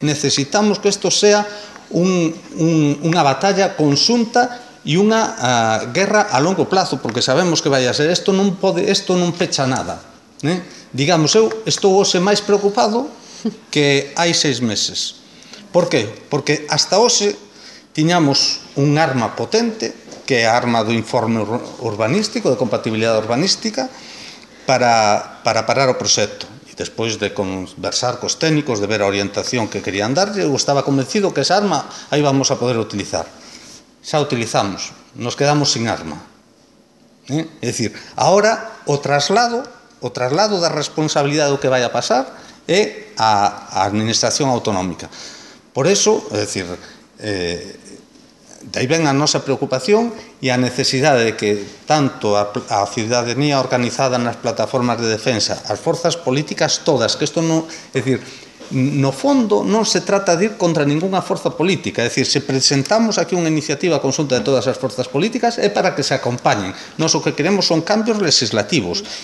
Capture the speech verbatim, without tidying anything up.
Necesitamos que isto sea un, un, unha batalla conxunta e unha uh, guerra a longo plazo, porque sabemos que vai a ser. Isto non pode, isto non pecha nada. Eh? Digamos, eu estou hoxe máis preocupado que hai seis meses. Por que? Porque hasta hoxe tiñamos un arma potente, que é a arma do informe urbanístico, de compatibilidade urbanística, para, para parar o proxecto. Despois de conversar cos técnicos, de ver a orientación que querían darlle, eu estaba convencido que esa arma aí vamos a poder utilizar. Xa utilizamos, nos quedamos sin arma. Eh? É dicir, agora o traslado, o traslado da responsabilidade do que vai a pasar é a, a administración autonómica. Por eso, é dicir, eh, de aí ven a nosa preocupación e a necesidade de que tanto a, a ciudadanía organizada nas plataformas de defensa, as forzas políticas todas, que isto non, é dicir, no fondo non se trata de ir contra ningunha forza política, é dicir, se presentamos aquí unha iniciativa conxunta de todas as forzas políticas é para que se acompañen. Nós o que queremos son cambios legislativos